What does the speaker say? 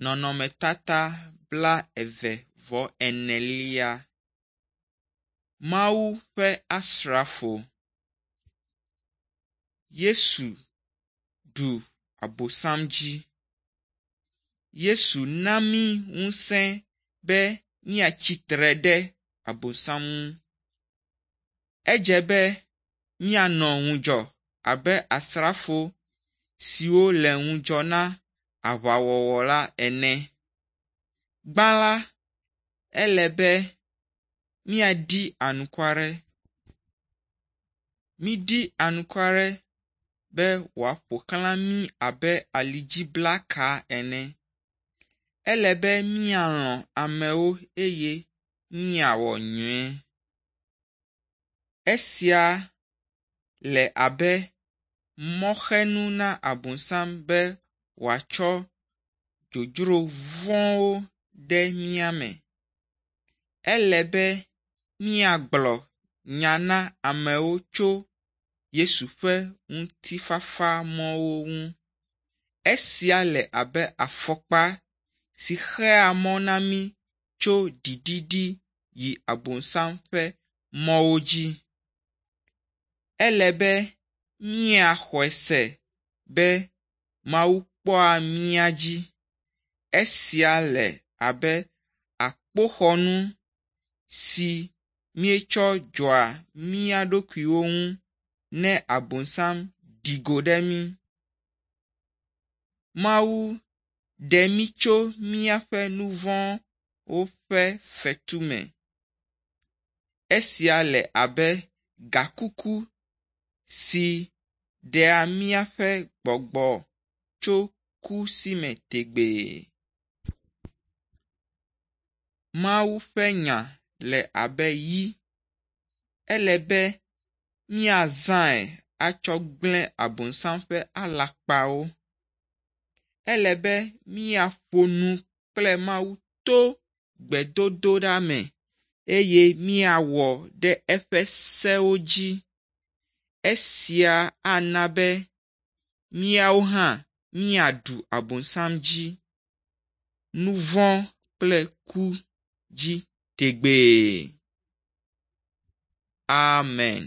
Nɔnɔmetata blaeve-vɔ-enelia. Mawu ƒe asrafo. Yesu ɖu abosam dzi. Yesu na mí ŋusẽ be míatsitre ɖe abosam ŋu. Edze be míanɔ ŋudzɔ abe asrafo siwo le ŋudzɔ na aʋawɔwɔ la ene. Gbã la, ele be míaɖi anukware. Míɖi anukware be wòaƒo xlã mí abe alidziblaka ene. Ele be míalɔ̃ amewo eye míawɔ nyui. Esia le abe mɔxenu na abosam be wòatsɔ dzodzro vɔ̃wo de mía me. Ele be míagblɔ nya na amewo tso Yesu ƒe ŋutifafa mɔwo ŋu. Esia le abe afɔkpa si xea mɔ na mí tso ɖiɖiɖi yi abosam ƒe mɔwo dzi. Ele be míaxɔe se be Mawu kpɔa mía dzi. Esia le abe akpoxɔnu si míetsɔ dzɔa mía ɖokuiwo ŋu ne abosam ɖi go ɖe mí. Mawu ɖe mí tso míaƒe nu vɔ̃wo ƒe fetu me. Esia le abe gakuku si ɖea míaƒe gbɔgbɔ tso ku si me tegbee. Mawu ƒe nya le abe yi. Ele be míazãe atsɔ gblẽ abosam ƒe alakpawo. Ele be míaƒo nu kple Mawu to gbedodoɖa me eye míawɔ ɖe eƒe sewo dzi. Esia ana be míawo hã míaɖu abosam dzi, nu vɔ̃ kple ku dzi tegbee. Amen.